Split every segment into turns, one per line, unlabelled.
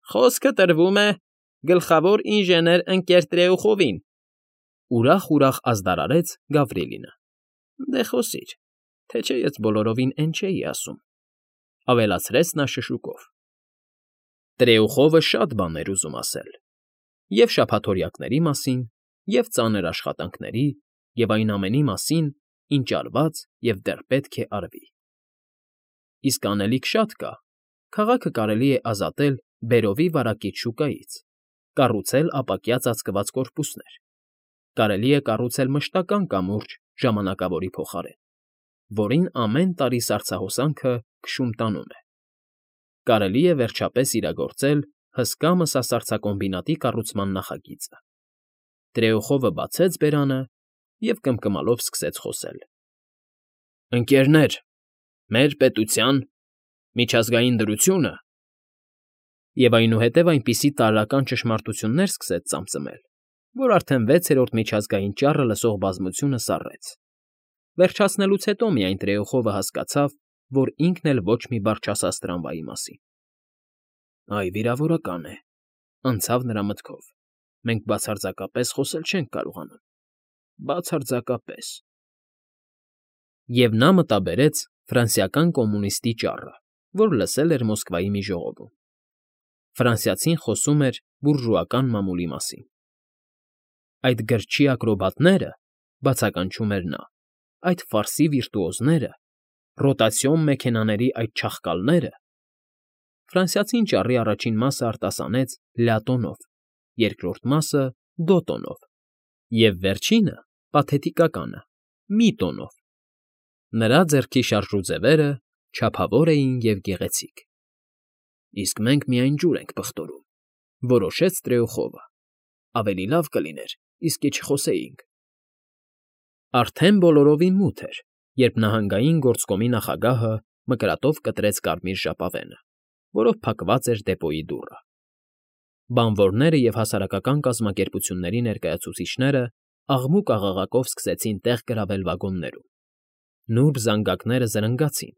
Խոսքը տրվում է գլխավոր ինժեներ ընկեր Տրեուխովին,֊ ուրախ ազդարարեց Գավրիլինը։ Դե խոսիր, թե չէ ես բոլորովին էն չէի ասում,֊ ավելացրեց նա շշուկով։ Տրեուխովը շատ բաներ ուզում ասել. և շաբաթօրյակների մասին, և ծանր աշխատանքների, և այն ամենի մասին, ինչ արված և դեռ պետք է արվի։ Իսկ անելիք շատ կա. քաղաքը կարելի է ազատել բերովի վարակիչ շուկայից, կառուցել ապակյա ծածկված կորպուսներ, կարելի է կառուցել մշտական կամուրջ ժամանակավորի փոխարեն, որին ամեն տարի սառցահոսանքը քշում տանում է, կարելի է վերջապես իրագործել հսկա մսասառցակոմբինատի կառուցման նախագիծը։ Տրեուխովը բացեց բերանը և կմկմալով սկսեց խոսել. «Ընկերներ, մեր պետության միջազգային դրությունը…» Եվ այնուհետև այնպիսի տարրական ճշմարտություններ սկսեց ծամծմել, որ արդեն 6-րդ միջազգային ճառը լսող բազմությունը սառեց։ Վերջացնելուց հետո միայն Տրեուխովը հասկացավ, որ ինքն էլ ոչ մի բառ չասաց տրամվայի մասին։ «Այ, վիրավորական է,֊ անցավ նրա մտքով,֊ մենք բացարձակապես խոսել չենք կարողանում, բացարձակապես…» Եվ նա մտաբերեց ֆրանսիական կոմունիստի ճառը, որ լսել էր Մոսկվայի մի ժողովում։ Ֆրանսիացին խոսում էր բուրժուական մամուլի մասին։ «Այդ գրչի ակրոբատները,֊ բացականչում էր նա,֊ այդ ֆարսի վիրտուոզները, ռոտացիոն մեքենաների այդ չաղկալները…» Ֆրանսիացին ճառի առաջին մասը արտասանեց լյա տոնով, երկրորդ մասը՝ դո տոնով, և վերջինը՝ պաթետիկականը՝ մի տոնով։ Նրա ձեռքի շարժուձևերը չափավոր էին և գեղեցիկ։ «Իսկ մենք միայն ջուր ենք պղտորում,֊ որոշեց Տրեուխովը,֊ ավելի լավ կլիներ, իսկի չխոսեինք»։ Արդեն բոլորովին մութ էր, երբ նահանգային գործկոմի նախագահը մկրատով կտրեց կարմիր ժապավենը, որով փակված էր դեպոյի դուռը։ Բանվորները և հասարակական կազմակերպությունների ներկայացուցիչները աղմուկ֊աղաղակով սկսեցին տեղ գրավել վագոններում։ Նուրբ զանգակները զրնգացին,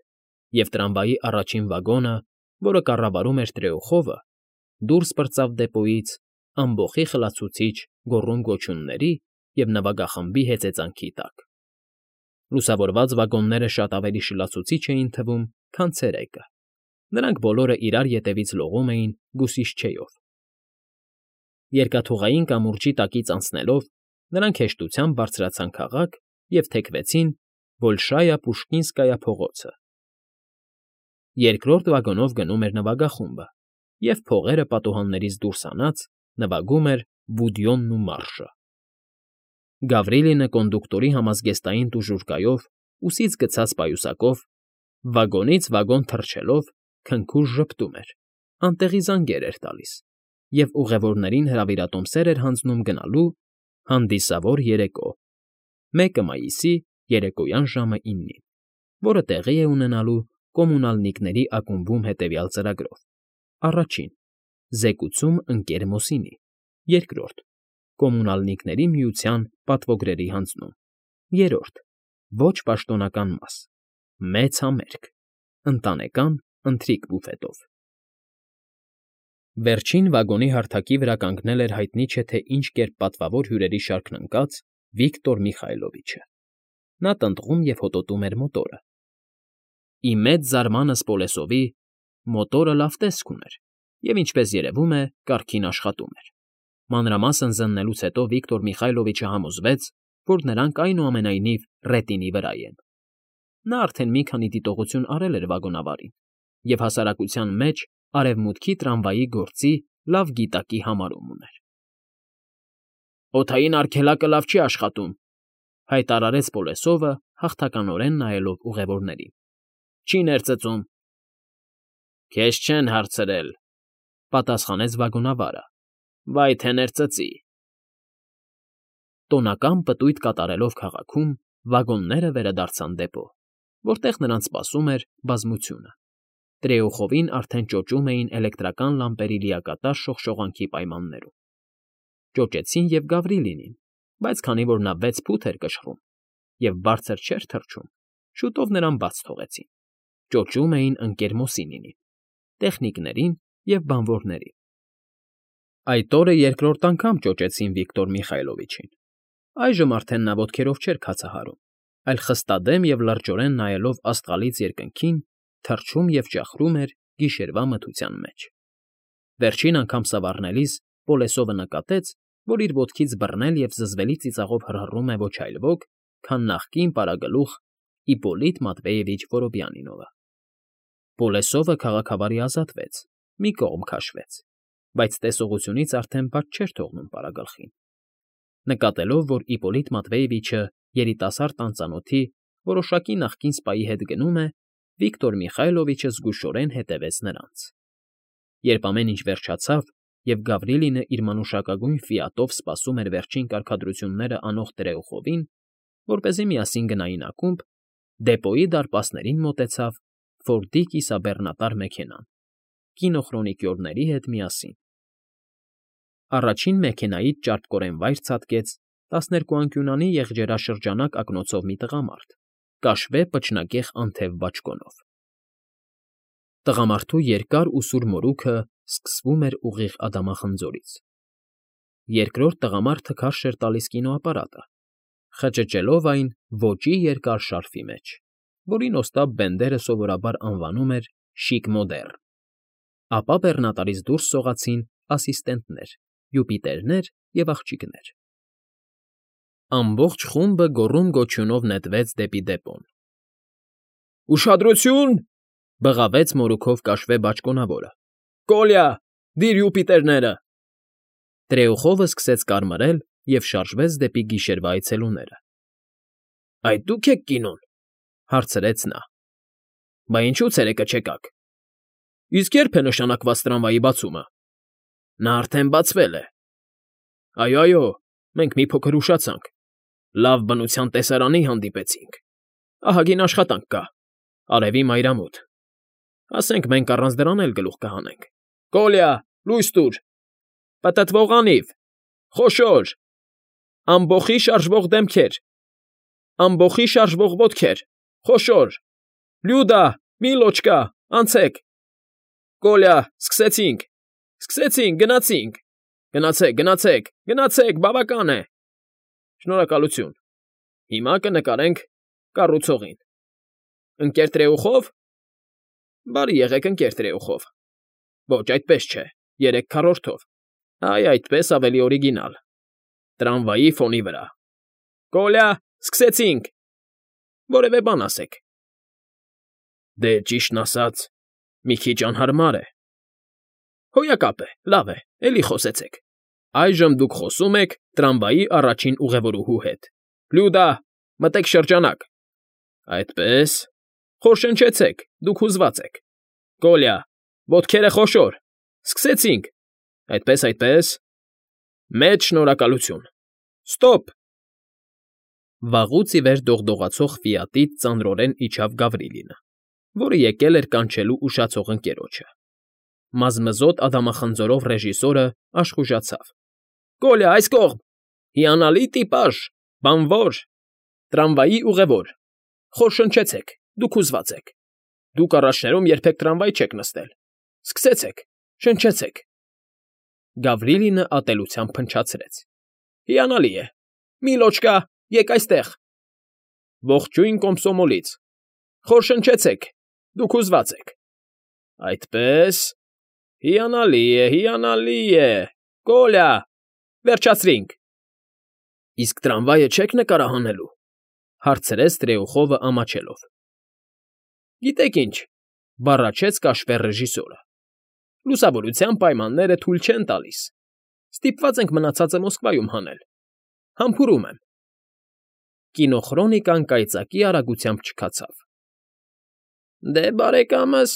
և տրամվայի առաջին վագոնը, որը կառավարում էր Տրեուխովը, դուրս պրծավ դեպոյից ամբոխի խլացուցիչ գոռում֊գոչյունների և նվագախմբի հեծեծանքի տակ։ Լուսավորված վագոնները շատ ավելի շլացուցիչ էին թվում, քան ցերեկը. նրանք բոլորը իրար ետևից լողում էին գուսիշչեյով։ Երկաթուղային կամուրջի տակից անցնելով՝ նրանք հեշտությամբ բարձրացան քաղաք և թեքվեցին Բոլշայա֊Պուշկինսկայա փողոցը։ Երկրորդ վագոնով գնում էր նվագախումբը, և փողերը պատուհաններից դուրս հանած նվագում էր Բուդյոնն ու մարշը։ Գավրիլինը կոնդուկտորի համազգեստային տուժուրկայով, ուսից գցած պայուսակով, վագոնից վագոն թռչելով քնքուշ ժպտում էր, անտեղի զանգեր էր տալիս և ուղևորներին հրավիրատոմսեր էր հանձնում գնալու հանդիսավոր երեկո, 1 մայիսի երեկոյան ժամը 9-ին, որը տեղի է ունենալու Կոմունալնիկների ակումբում հետևյալ ծրագրով. առաջին՝ զեկուցում Ընկ. Մոսինի, երկրորդ՝ Կոմունալնիկների միության պատվոգրերի հանձնում, երրորդ՝ ոչ պաշտոնական մաս, մեծ համերգ, ընտանեկան ընթրիք բուֆետով։ Վերջին վագոնի հարթակի վրա կանգնել էր հայտնի չէ թե ինչ կերպ պատվավոր հյուրերի շարքն ընկած Վիկտոր Միխայլովիչը։ Նա տնտղում և հոտոտում էր մոտորը։ Ի մեծ զարմանս Պոլեսովի մոտորը լավ տեսք ուներ և, ինչպես երևում է, կարգին աշխատում էր։ Մանրամասն զննելուց հետո Վիկտոր Միխայլովիչը համոզվեց, որ նրանք այնուամենայնիվ ռետինի վրա են։ Նա արդեն մի քանի դիտողություն արել էր վագոնավարին և հասարակության մեջ Արևմուտքի տրամվայի գործի լավ գիտակի համարում ուներ։ «Օդային արգելակը լավ չի աշխատում,֊ հայտարարեց Պոլեսովը, հաղթականորեն նայելով ուղևորներին։֊ Չի ներծծում։ «Քեզ չեն հարցրել,֊ պատասխանեց վագոնավարը,֊ վայ թե ներծծի»։ Տոնական պտույտ կատարելով քաղաքում՝ վագոնները վերադարձան դեպո, որտեղ նրանց սպասում էր բազմությունը։ Տրեուխովին արդեն ճոճում էին էլեկտրական լամպերի լիակատար շողշողանքի պայմաններում։ Ճոճեցին և Գավրիլինին, բայց քանի որ նա 6 ֆուտ էր կշռում և բարձր չէր թռչում, շուտով նրան բաց թողեցին։ Ճոճում էին Ընկ. Մոսինիին, տեխնիկներին և բանվորներին, Այդ օրը երկրորդ անգամ ճոճեցին Վիկտոր Միխայլովիչին։ Այժմ արդեն նա ոտքերով չէր քացահարում, այլ խստադեմ և լրջորեն նայելով աստղալից երկնքին, թռչում և ճախրում էր գիշերվա մթության մեջ։ Վերջին անգամ սավառնելիս Պոլեսովը նկատեց, որ իր ոտքից բռնել և զզվելի ծիծաղով հռհռում է ոչ այլ ոք, քան նախկին պարագլուխ Իպոլիտ Մատվեևիչ Որոբյանինովը։ Պոլեսովը քաղաքավարի ազատվեց, մի կողմ քաշվեց, բայց տեսողությունից արդեն բաց չէր թողնում պարագլխին։ Նկատելով, որ Իպոլիտ Մատվեևիչը երիտասարդ անծանոթի որոշակի նախկին սպայի հետ գնում է, Վիկտոր Միխայլովիչը զգուշորեն հետևեց նրանց։ Երբ ամեն ինչ վերջացավ, և Գավրիլինը իր մանուշակագույն ֆիատով սպասում էր վերջին կարգադրությունները անող Տրեուխովին, որպեսզի միասին գնային ակումբ, դեպոյի դարպասներին մոտեցավ Ֆորդի կիսաբեռնատար մեքենան, կինոխրոնիկյորների հետ միասին։ Առաջին մեքենայից ճարպկորեն վայր ցատկեց 12-անկյունանի եղջերաշրջանակ ակնոցով մի տղամարդ, կաշվե պչնակեղ անթև բաճկոնով։ Տղամարդու երկար ու սուր մորուքը սկսվում էր ուղիղ ադամախնձորից։ Երկրորդ տղամարդը քարշ էր տալիս կինոապարատը, խճճելով այն ոճի երկար շարֆի մեջ, որին Օստապ Բենդերը սովորաբար անվանում էր «շիկ մոդեռն»։ Ապա բեռնատարից դուրս սողացին ասիստենտներ, Յուպիտերներ և աղջիկներ։ Ամբողջ խումբը գոռում֊գոչյունով նետվեց դեպի դեպոն։ «Ուշադրություն!» բղավեց մորուքով կաշվե բաճկոնավորը։ «Կոլյա, դիր Յուպիտերները»։ Տրեուխովը սկսեց կարմրել և շարժվեց դեպի գիշերվա այցելուները։ «Այդ դուք եք կինոն,֊ հարցրեց նա։ Բա ինչու ցերեկը չեկաք։ Իսկ ե՞րբ է նշանակված տրամվայի բացումը։ Նա արդեն բացվել է։ Այո, մենք մի փոքր ուշացանք։ Լավ բնության տեսարանի հանդիպեցինք։ Ահագին աշխատանք կա, արևի մայրամուտ։ Ասենք մենք առանց դրան էլ գլուխ կհանենք։ Կոլյա, լույս տուր։ Պտտվող անիվ, խոշոր, ամբոխի շարժվող դեմքեր, ամբոխի շարժվող ոտքեր, խոշոր, Լյուդա, Միլոչկա, անցեք։ Կոլյա, սկսեցինք, գնացինք, գնացեք, բավական է։ Շնորհակալություն։ Հիմա կնկարենք կառուցողին։ Ընկեր Տրեուխով։ Բարի եղեք, ընկեր Տրեուխով։ Ոչ, այդպես չէ, 3/4-ով։ Այ այդպես ավելի օրիգինալ։ Տրամվայի ֆոնի վրա։ Կոլյա, սկսեցինք։ Որևէ բան ասեք։ Դե, ճիշտն ասած, մի քիչ անհարմար է։ Հոյակապ է, լավ է, էլի խոսեցեք։ Այժմ դուք խոսում եք տրամվայի առաջին ուղևորուհու հետ։ Լյուդա, մտեք շրջանակ։ Այդպես, խորշնչեցեք, դուք հուզված եք։ Կոլյա, ոտքերը խոշոր։ Սկսեցինք։ Այդպես։ Մեծ շնորհակալություն։ Ստոպ։ Վաղուց ի վեր դողդողացող ֆիատից ծանրորեն իջավ Գավրիլինը, որը եկել էր կանչելու ուշացող ընկերոջը։ Մազմզոտ ադամախնձորով ռեժիսորը աշխուժացավ։ Կոլյա, այս կողմ։ Հիանալի տիպաժ, բանվոր, տրամվայի ուղևոր։ Խորշնչեցեք, դուք հուզված եք։ Դուք առաջներում երբեք տրամվայ չեք նստել։ Սկսեցեք, շնչեցեք։ Գավրիլինը ատելությամբ փնչացրեց։ Հիանալի է։ Միլոչկա, եկ այստեղ։ Ողջույն Կոմսոմոլից։ Խորշնչեցեք, դուք հուզված եք։ Այդպես։ Հիանալի է։ Կոլյա, վերջացրինք։ Իսկ տրամվայը չեք նկարահանելու, հարցրեց Տրեուխովը ամաչելով։ Գիտեք ինչ, բառաչեց կաշվե ռեժիսորը։ Լուսավորության պայմանները թույլ չեն տալիս։ Ստիպված ենք մնացածը Մոսկվայում հանել։ Համբուրում եմ։ Կինոխրոնիկան կայծակի արագությամբ չքացավ։ Դե, բարեկամս,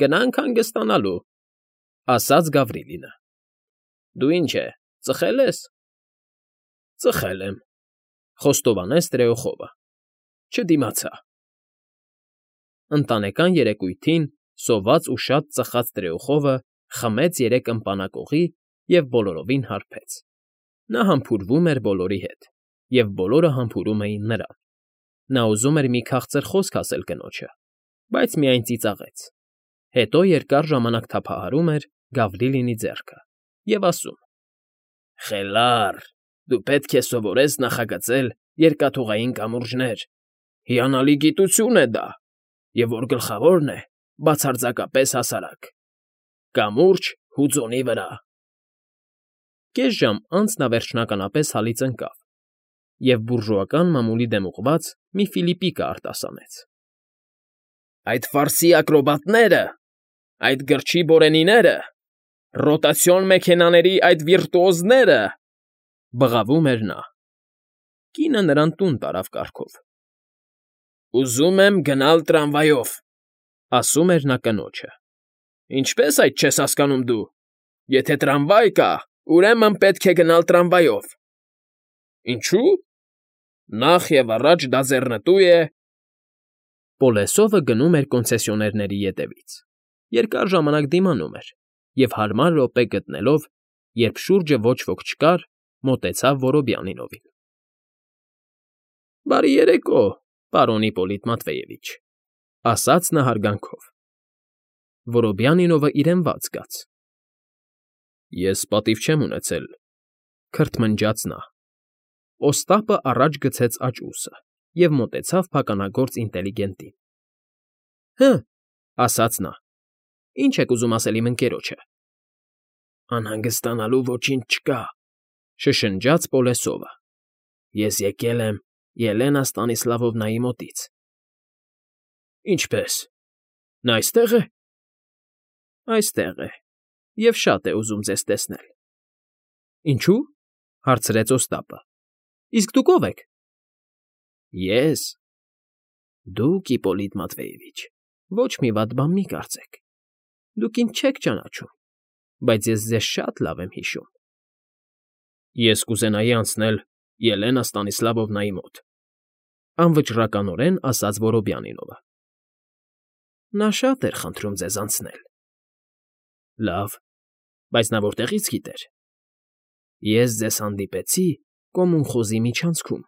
գնանք հանգստանալու, ասաց Գավրիլինը։ Դու ինչ է, ծխել ես։ Ծխել եմ, խոստովանեց Տրեուխովը։ Չդիմացա։ Ընտանեկան երեկույթին սոված ու շատ ծխած Տրեուխովը խմեց 3 ըմպանակողի և բոլորովին հարբեց։ Նա համբուրվում էր բոլորի հետ, և բոլորը համբուրում էին նրան։ Նա ուզում էր մի քաղցր խոսք ասել կնոջը, բայց միայն ծիծաղեց։ Հետո երկար ժամանակ թափահարում էր Գավրիլինի ձեռքը և ասում. Խելառ, դու պետք է սովորես նախագծել երկաթուղային կամուրջներ, հիանալի գիտություն է դա, և որ գլխավորն է, բացարձակապես հասարակ։ Կամուրջ հուձոնի վրա։ Կես ժամ անց նա վերջնականապես հալից ընկավ և բուրժուական մամուլի դեմ ուղղված մի ֆիլիպիկա արտասանեց։ Այդ ֆարսի ակրոբատները, այդ գրչի բորենիները, ռոտացիոն մեքենաների այդ վիրտուոզները, բղավում էր նա։ Կինը նրան տուն տարավ կառքով։ Ուզում եմ գնալ տրամվայով, ասում էր նա կնոջը։ Ինչպե՞ս այդ չես հասկանում դու։ Եթե տրամվայ կա, ուրեմն պետք է գնալ տրամվայով։ Ինչու՞։ Նախ և առաջ դա ձեռնտու է։ Պոլեսովը գնում էր կոնցեսիոներների ետևից, երկար ժամանակ դիմանում էր և հարմար րոպե գտնելով, երբ շուրջը ոչ ոք չկար, մոտեցավ Որոբյանինովին։ Բարի երեկո, պարոն Իպոլիտ Մատվեևիչ, ասաց նա հարգանքով։ Որոբյանինովը իրեն ված զգաց։ Ես պատիվ չեմ ունեցել, քրթմնջաց նա։ Օստապը առաջ գցեց աջ ուսը և մոտեցավ փականագործ ինտելիգենտին։ Հը, ասաց նա, ինչ եք ուզում ասել իմ ընկերոջը։ Անհանգստանալու ոչինչ չկա, շշնջաց Պոլեսովը։ Ես եկել եմ Ելենա Ստանիսլավովնայի մոտից։ Ինչպե՞ս։ Նա այստե՞ղ է։ Այստեղ է և շատ է ուզում ձեզ տեսնել։ Ինչու՞, հարցրեց Օստապը։ Իսկ դուք ո՞վ եք։ Ես։ Դուք, Իպոլիտ Մատվեևիչ, ոչ մի վատ բան մի կարծեք։ Դուք ինձ չեք ճանաչում, բայց ես ձեզ շատ լավ եմ հիշում։ Ես կուզենայի անցնել Ելենա Ստանիսլավովնայի մոտ, անվճռականորեն ասաց Որոբյանինովը։ Նա շատ էր խնդրում ձեզ անցնել։ Լավ, բայց նա որտեղի՞ց գիտեր։ Ես ձեզ հանդիպեցի Կոմունխոզի միջանցքում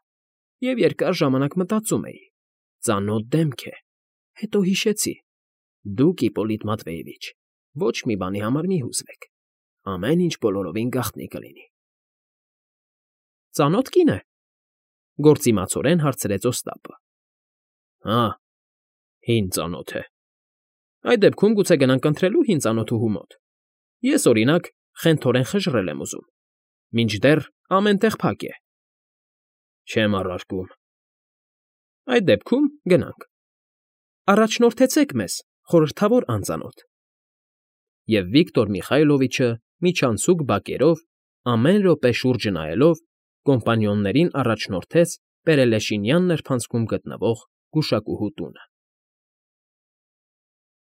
և երկար ժամանակ մտածում էի. ծանոթ դեմք է, հետո հիշեցի. դուք, Իպոլիտ Մատվեևիչ, ոչ մի բանի համար մի հուզվեք, ամեն ինչ բոլորովին գաղտնի կլինի։ Ծանո՞թ կին է։ Գործիմացորեն հարցրեց Օստապը։ Հա, հին ծանոթ է։ Այդ դեպքում գուցե գնանք ընթրելու հին ծանոթուհու մոտ։ Ես, օրինակ, խենթորեն խժռել եմ ուզում, մինչդեռ ամեն տեղ փակ է։ Չեմ առարկում։ Այդ դեպքում գնանք։ Առաջնորդեցեք մեզ, խորհրդավոր անծանոթ։ Եվ Վիկտոր Միխայլովիչը միջանցուկ բակերով, ամեն րոպե շուրջը նայելով, կոմպանիոններին առաջնորդեց Պերելեշինյան նրբանցքում գտնվող գուշակուհու տունը։